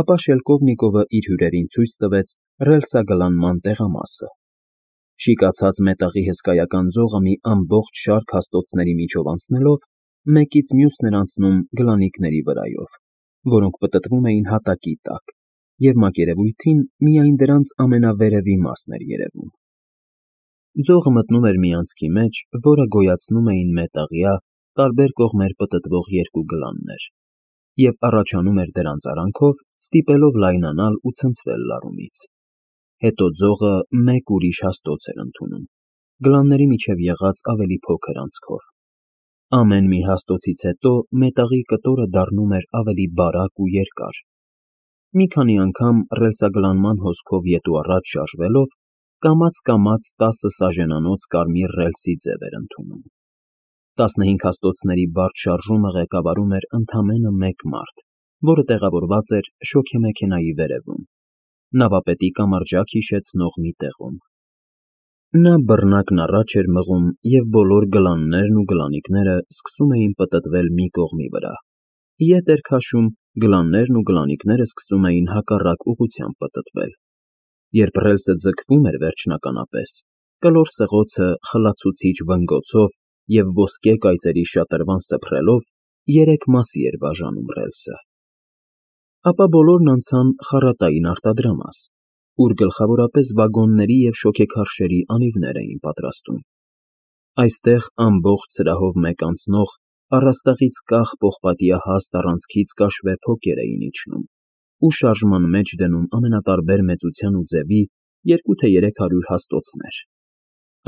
ապա Շելկովնիկովը իր հյուրերին ցույց տվեց ռելսագլանման տեղամասը։ Շիկացած մետաղի հսկայական ձողը մի ամբողջ շարք հաստոցների միջով անցնելով, մեկից մյուսն էր անցնում գլանիկների վրայով, որոնք պտտվում էին հատակի տակ, և մակերևույթին միայն դրանց ամենավերևի մասն էր երևում։ Ձողը մտնում էր մի անցքի մեջ, որը գոյացնում էին մետաղյա, տարբեր կողմեր պտտվող երկու գլաններ, և առաջանում էր դրանց արանքով, ստիպելով լայնանալ ու ցնցվել լարումից։ Հետո ձողը մեկ ուրիշ հաստոց էր ընդունում, գլանների միջև եղած ավելի փոքր անցքով։ Ամեն մի հաստոցից հետո մետաղի կտորը դառնում էր ավելի բարակ ու երկար։ Մի քանի անգամ ռելսագլանման հոսքով ետ ու առաջ շարժվելով, կամաց-կամաց 10 սաժենանոց կարմիր ռելսի ձև էր ընդունում։ 15 հաստոցների բարդ շարժումը ղեկավարում էր ընդամենը մեկ մարդ, որը տեղավորված էր շոգեմեքենայի վերևում, նավապետի կամրջակ հիշեցնող մի տեղում։ Նա բռնակն առաջ էր մղում, և բոլոր գլաններն ու գլանիկները սկսում էին պտտվել մի կողմի վրա, ետ էր քաշում, գլաններն ու գլանիկները սկսում էին հակառակ ուղղությամբ պտտվել։ Երբ ռելսը ձգվում էր վերջնականապես, կլոր սղոցը խլացուցիչ վնգոցով և ոսկե կայծերի շատրվան սփռելով 3 մասի էր բաժանում ռելսը։ Ապա բոլորն անցան խառատային արտադրամաս, ուր գլխավորապես վագոնների և շոգեքարշերի անիվներ էին պատրաստում։ Այստեղ ամբողջ սրահով մեկ անցնող, առաստաղից կախ պողպատյա հաստ առանցքից կաշվե փոկեր էին իջնում ու շարժման մեջ դնում ամենատարբեր մեծության ու ձևի 200 թե 300 հաստոցներ։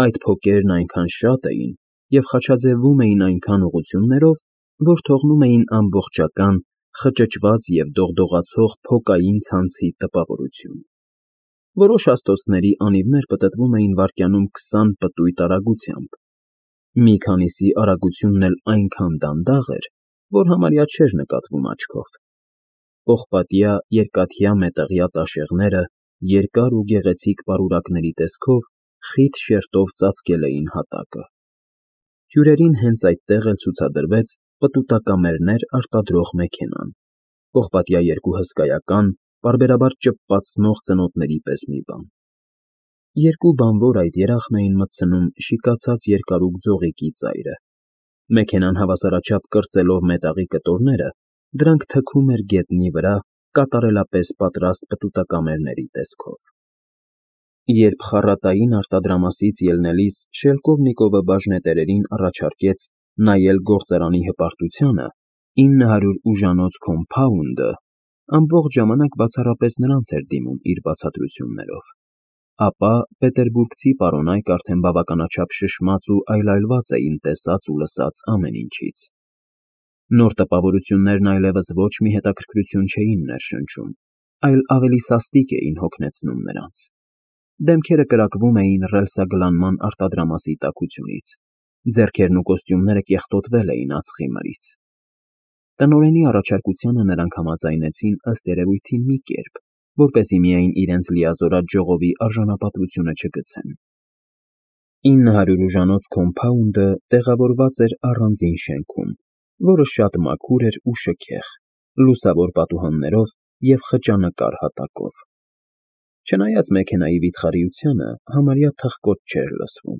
Այդ փոկերն այնքան շատ էին և խաչաձևում էին այնքան ուղղություններով, որ թողնում էին ամբողջական, խճճված և դողդողացող փոկային ցանցի տպավորություն։ Որոշ հաստոցների անիվներ պտտվում էին վայրկյանում 20 պտույտ արագությամբ։ Մի քանիսի արագությունն էլ այնքան դանդաղ էր, որ համարյա չէր նկատվում աչքով։ Պողպատյա, երկաթյա մետաղյա տաշեղները երկար ու գեղեցիկ պարուրակների տեսքով խիտ շերտով ծածկել էին հատակը։ Հյուրերին հենց այդտեղ էլ ցուցադրվեց պտուտակամերներ արտադրող մեքենան, պողպատյա երկու հսկայական, պարբերաբար ճպպացնող ծնոտների պես մի բան։ Երկու բանվոր այդ երախն էին մտցնում շիկացած երկարուկ ձողիկի ծայրը։ Մեքենան հավասարաչափ կրծելով մետաղի կտորները, դրանք թքում էր գետնի վրա կատարելապես պատրաստ պտուտակամերների տեսքով։ Երբ խառատային արտադրամասից ելնելիս Շելկովնիկովը բաժնետերերին առաջարկեց նայել գործարանի հպարտությանը, 900 ուժանոց քոմփաունդը ամբողջ ժամանակ բացառապես նրանց էր դիմում իր բացատրություններով, ապա պետերբուրգցի պարոնայք արդեն բավականաչափ շշմած ու այլայլված էին տեսած ու լսած ամեն ինչից։ Նոր տպավորություններն այլևս ոչ մի հետաքրքրություն չէին ներշնչում, այլ ավելի սաստիկ էին հոգնեցնում նրանց։ Դեմքերը կրակվում էին ռելսագլանման արտադրամասի տաքությունից, ձեռքերն ու կոստյումները կեղտոտվել էին ածխի մրից։ Տնօրենի առաջարկությանը նրանք համաձայնեցին ըստ երևույթին մի կերպ, որպեսզի միայն իրենց լիազորած ժողովի արժանապատվությունը չգցեն։ 900 ուժանոց քոմփաունդը տեղավորված էր առանձին շենքում, որը շատ մաքուր էր ու շքեղ, լուսավոր պատուհաններով և խճանկար հատակով։ Չնայած մեքենայի վիթխարիությանը, համարյա թխկոց չէր լսվում։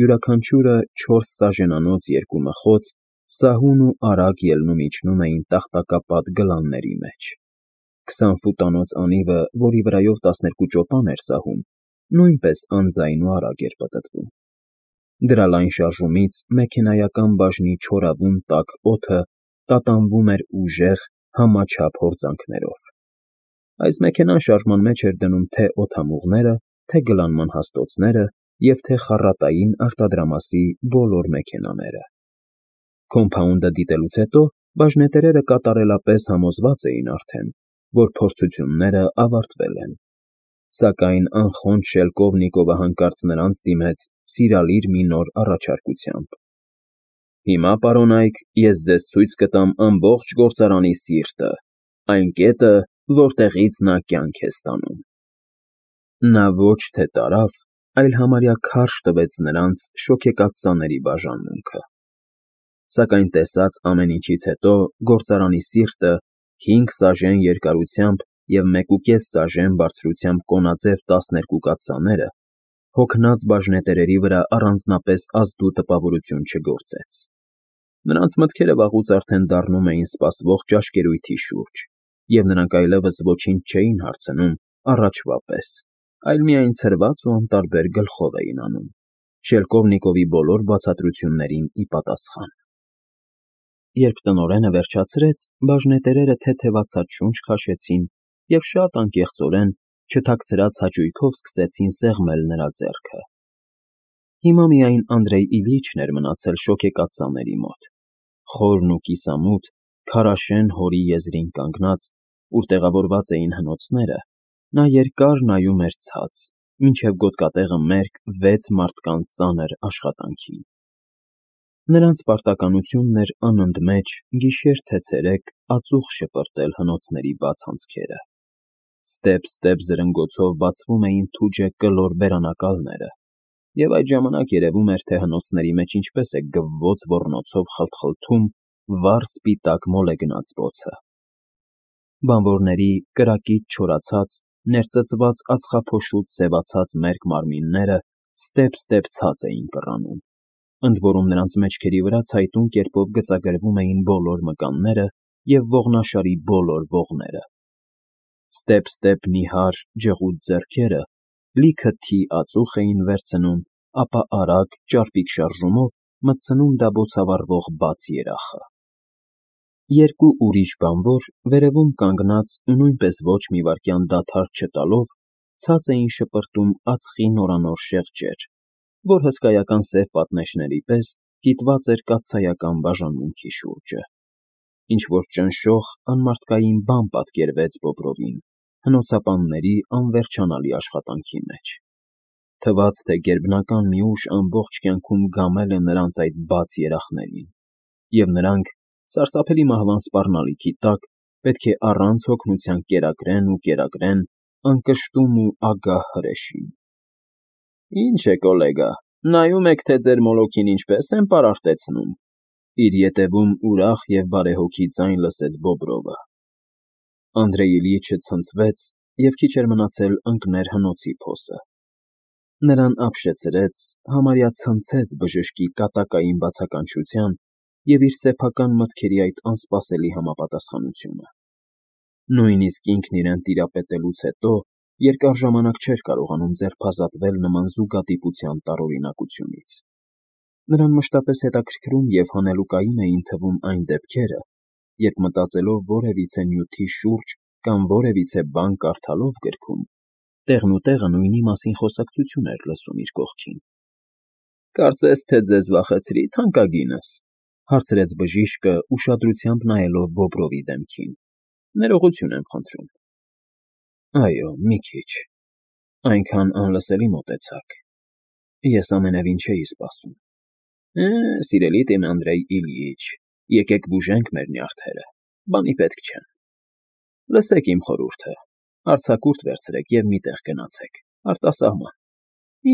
Յուրաքանչյուրը 4 սաժենանոց երկու մխոց սահուն ու արագ ելնում-իջնում էին տախտակապատ գլանների մեջ։ 20 ֆուտանոց անիվը, որի վրայով 12 ճոպան էր սահում, նույնպես անձայն ու արագ էր պտտվում։ Դրա լայն շարժումից մեքենայական բաժնի չորավուն տաք օդը տատանվում էր ուժեղ, համաչափ հորձանքներով։ Այս մեքենան շարժման մեջ էր դնում թե օդամուղները, թե գլանման հաստոցները և թե խառատային արտադրամասի բոլոր մեքենաները։ Քոմփաունդը դիտելուց հետո բաժնետերերը կատարելապես համոզված էին արդեն, որ փորձությունները ավարտվել են։ Սակայն անխոնջ Շելկովնիկովը հանկարծ նրանց դիմեց սիրալիր մի նոր առաջարկությամբ։ Հիմա, պարոնայք, ես ձեզ ցույց կտամ ամբողջ գործարանի սիրտը, այն կետը, որտեղից նա կյանք է ստանում։ Նա ոչ թե տարավ, այլ համարյա քարշ տվեց նրանց շոգեկաց սաների բաժանմունքը։ Սակայն տեսած ամեն ինչից հետո գործարանի սիրտը 5 սաժեն երկարությամբ և 1,5 սաժեն բարձրությամբ կոնաձև 12 կաթսաները հոգնած բաժնետերերի վրա առանձնապես ազդու տպավորություն չգործեց։ Նրանց մտքերը վաղուց արդեն դառնում էին սպասվող ճաշկերույթի շուրջ, և նրանք այլևս ոչինչ չէին հարցնում առաջվա պես, այլ միայն ցրված ու անտարբեր գլխով էին անում, Շելկովնիկովի բոլոր բացատրություններին ի պատասխան։ Երբ տնօրենը վերջացրեց, բաժնետերերը թեթևացած շունչ քաշեցին և շատ անկեղծորեն, չթաքցրած հաճույքով սկսեցին սեղմել նրա ձեռքը։ Հիմա միայն Անդրեյ Իլյիչն էր մնացել շոգեկաթսաների մոտ, խորն ու կիսամութ, քարաշեն հորի եզրին կանգնած, ուր տեղավորված էին հնոցները, նա երկար նայում էր ցած, մինչև գոտկատեղը մերկ 6 մարդկանց ծանր աշխատանքին։ Նրանց պարտականությունն էր անընդմեջ, գիշեր թե ցերեկ, ածուխ շպրտել հնոցների բաց անցքերը։ Ստեպ-ստեպ զրնգոցով բացվում էին թուջը կլոր բերանակալները, և այդ ժամանակ երևում էր, թե հնոցների մեջ ինչպես է գվվոց ոռնոցով խլթխլթում վառ սպիտակ մոլեգնած բոցը։ Բանվորների կրակից չորացած, ներծծված ածխափոշուց սևացած մերկ մարմինները ստեպ-ստեպ ցած էին կռանում, ընդ որում նրանց մեջքերի վրա ցայտուն կերպով գծագրվում էին բոլոր մկանները և ողնաշարի բոլոր ողները։ Ստեպ-ստեպ նիհար, ջղուդ ձեռքերը լիքը թի ածուխ էին վերցնում, ապա արագ, ճարպիկ շարժումով մտցնում դաբոցավառվող բաց երախը։ Երկու ուրիշ բանվոր, վերևում կանգնած ու նույնպես ոչ մի վայրկյան դադար չտալով, ցած էին շպրտում ածխի նորանոր շեղջեր, որ հսկայական սև պատնեշների պես կիտված էր կաթսայական բաժանմունքի շուրջը։ Ինչ-որ ճնշող, անմարդկային բան պատկերվեց Բոբրովին հնոցապանների անվերջանալի աշխատանքի մեջ։ Թվաց, թե գերբնական մի ուժ ամբողջ կյանքում գամել է նրանց այդ բաց երախներին, և նրանք, սարսափելի մահվան սպառնալիքի տակ, պետք է առանց հոգնության կերակրեն ու կերակրեն անկշտում ու ագահ հրեշին։ Ինչ է, կոլեգա, նայում եք, թե ձեր մոլոքին ինչպես եմ պարարտեցնում,֊ իր ետևում ուրախ և բարեհոգի ձայն լսեց Բոբրովը։ Անդրեյ Իլյիչը ցնցվեց և քիչ էր մնացել ընկներ հնոցի փոսը։ Նրան ապշեցրեց, համարյա ցնցեց բժշկի կատակային բացականչության և իր սեփական մտքերի այդ անսպասելի համապատասխանությունը։ Նույնիսկ ինքն իրեն տիրապետելուց հետո երկար ժամանակ չէր կարողանում ձերբազատվել նման զուգադիպության տարօրինակությունից։ Նրան մշտապես հետաքրքրում և հանելուկային էին թվում այն դեպքերը, երբ մտածելով որևիցե նյութի շուրջ կամ որևիցե բան կարդալով գրքում, տեղնուտեղը նույնի մասին խոսակցություն էր լսում իր կողքին։ «Կարծես թե ձեզ վախեցրի, թանկագինս,֊ հարցրեց բժիշկը, ուշադրությամբ նայելով Բոբրովի դեմքին։֊ Ներողություն եմ խնդրում։ Այո, մի քիչ, այնքան անլսելի մոտեցաք։ Ես ամենևին չէի սպասում։ Սիրելի իմ Անդրեյ Իլյիչ, եկեք բուժենք մեր նյարդերը, բանի պետք չեն։ Լսեք իմ խորհուրդը, արձակուրդ վերցրեք և մի տեղ գնացեք, արտասահման,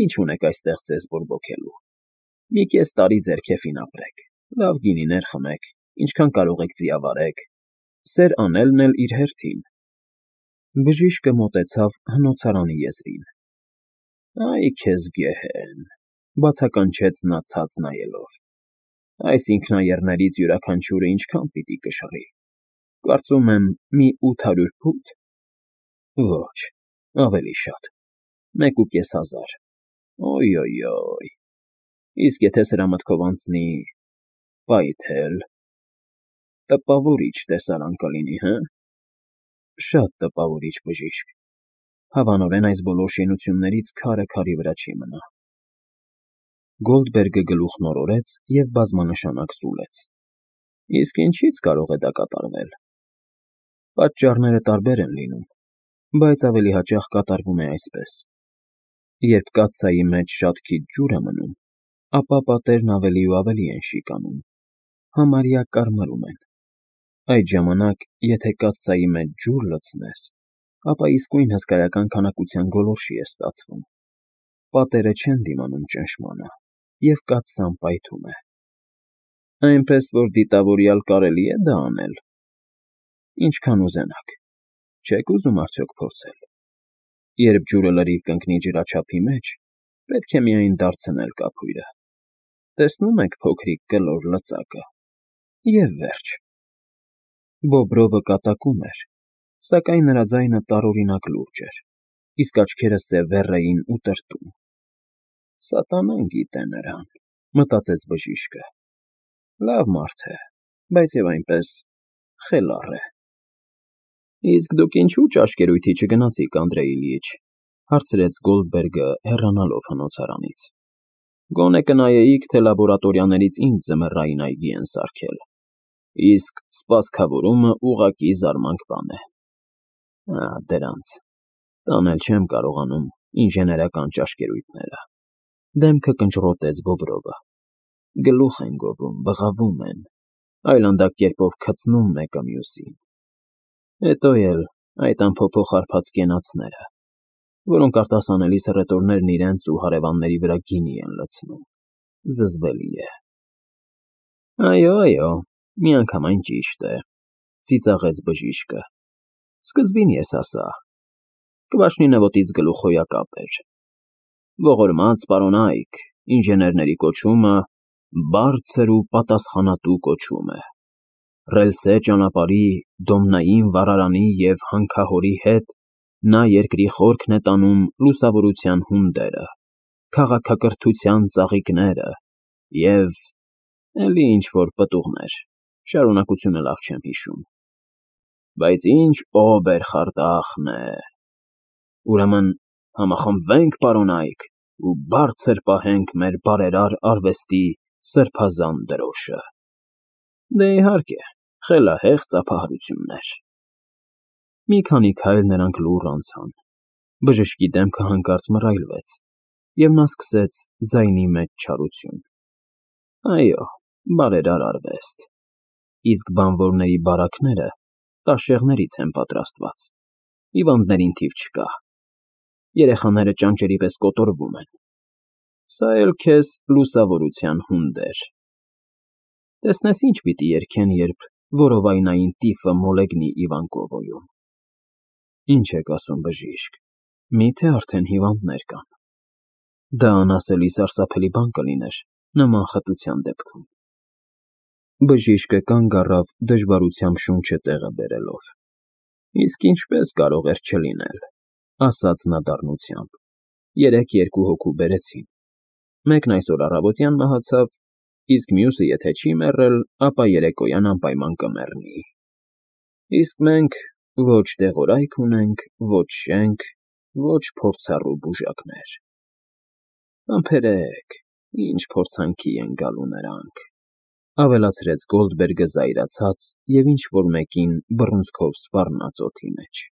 ինչ ունեք այստեղ ձեզ բորբոքելու։ Մի կես տարի ձեր քեֆին ապրեք, լավ գինիներ խմեք, ինչքան կարող եք ձիավարեք, սեր անելն էլ իր հերթին։ Բժիշկը մոտեցավ հնոցարանի եզրին։ Այ քեզ գեհեն,֊ բացականչեց նա ցած նայելով։ Այս ինքնաեռներից յուրաքանչյուրը ինչքան պիտի կշռի։ Կարծում եմ, մի 800 փութ։ Ոչ, ավելի շատ, 1,500։ Օյ։ Իսկ եթե սրա մտքով անցնի… պայթել… տպավորիչ տեսարան կլինի, հը՞։ Շատ տպավորիչ, բժիշկ, հավանորեն այս բոլոր շինություններից քարը քարի վրա չի մնա։ Գոլդբերգը գլուխն օրորեց և բազմանշանակ սուլեց։ Իսկ ինչի՞ց կարող է դա կատարվել։ Պատճառները տարբեր են լինում, բայց ավելի հաճախ կատարվում է այսպես. երբ կաթսայի մեջ շատ քիչ ջուր է մնում, ապա պատերն ավելի ու ավելի են շիկանում, համարյա կարմրում են։ Այդ ժամանակ, եթե կաթսայի մեջ ջուր լցնես, ապա իսկույն հսկայական քանակության գոլորշի է ստացվում։ Պատերը չեն դիմանում ճնշմանը, և կաթսան պայթում է։ Այնպես որ դիտավորյալ կարելի է դա անել։ Ինչքան ուզենաք։ Չեք ուզում արդյոք փորձել։ Երբ ջուրը լրիվ կընկնի ջրաչափի մեջ, պետք է միայն դարձնել կափույրը։ Տեսնում եք փոքրիկ կլոր լծակը։ Եվ վերջ։ Բոբրովը կատակում էր, սակայն նրա ձայնը տարօրինակ լուրջ էր, իսկ աչքերը սևեռ էին ու տրտում։ Սատանան գիտե նրան, մտածեց բժիշկը։ Լավ մարդ է, բայց և այնպես խելառ է։ Իսկ դուք ինչու ճաշկերույթի չգնացիք, Անդրեյ Իլյիչ, հարցրեց Գոլդբերգը, հեռանալով հնոցարանից։ Գոնե կնայեիք, թե լաբորատորիաներից ինչ ձմեռային այգի են սարքել։ Իսկ սպասքավորումը ուղղակի զարմանք բան է։ Դրանց։ Տանել չեմ կարողանում ինժեներական ճաշկերույթները։ Դեմքը կնճռոտեց Բոբրովը։ Գլուխ են գովում, բղավում են, այլանդակ կերպով քծնում մեկը մյուսին։ Հետո էլ այդ անփոփոխ հարբած կենացները, որոնք արտասանելի սռետորներն իրենց ու հարևանների վրա գինի են լցնում։ Զզվելի է։ Այո, միանգամայն ճիշտ է, ծիծաղեց բժիշկը։ Սկզբին ես ասա։ Կվաշնի նվոտից գլուխ հոյակապ էր։ Ողորմած պարոնայք, ինժեներների կոչումը բարձր ու պատասխանատու կոչում է։ Ռելսե ճանապարհի, Դոմնային վառարանի և հանքահորի հետ նա երկրի խորքն է տանում լուսավորության հունդերը, քաղաքակրթության ծաղիկները և էլի ինչ-որ պտուղներ, շարունակությունը լավ չեմ հիշում։ Բայց ինչ օբերխարդախն է։ Ուրեմն համախմբվենք, պարոնայք, ու բարձր պահենք մեր բարերար արվեստի սրբազան դրոշը։ Դե իհարկե, խելահեղ ծափահարություններ։ Մի քանի քայլ նրանք լուռ անցան։ Բժշկի դեմքը հանկարծ մռայլվեց, և նա սկսեց ձայնի մեջ չարություն։ Այո, բարերար արվեստ։ Իսկ բանվորների բարակները տաշեղներից են պատրաստված, հիվանդներին թիվ չկա։ Երեխաները ճանճերի պես կոտորվում են։ Սա էլ քեզ լուսավորության հունդեր։ Տեսնես ինչ պիտի երգեն, երբ որովայնային տիֆը մոլեգնի Իվանկովոյում։ Ինչ եք ասում, բժիշկ, մի՞թե արդեն հիվանդներ կան։ Դա անասելի սարսափելի բան կլիներ նման խտության դեպքում։ Բժիշկը կանգ առավ դժվարությամբ շունչը տեղը բերելով։ Իսկ ինչպես կարող էր չլինել, ասաց նա դառնությամբ։ Երեկ երկու հոգու բերեցին։ Մեկն այսօր առավոտյան մահացավ, իսկ մյուսը եթե չի մեռել, ապա երեկոյան անպայման կմեռնի։ Իսկ մենք ոչ դեղորայք ունենք, ոչ շենք, ոչ փորձառու բուժակներ։ Համբերեք, ինչ փորձանքի են գալու նրանք, ավելացրեց Գոլդբերգը զայրացած և ինչ֊որ մեկին բռունցքով սպառնաց օդի մեջ։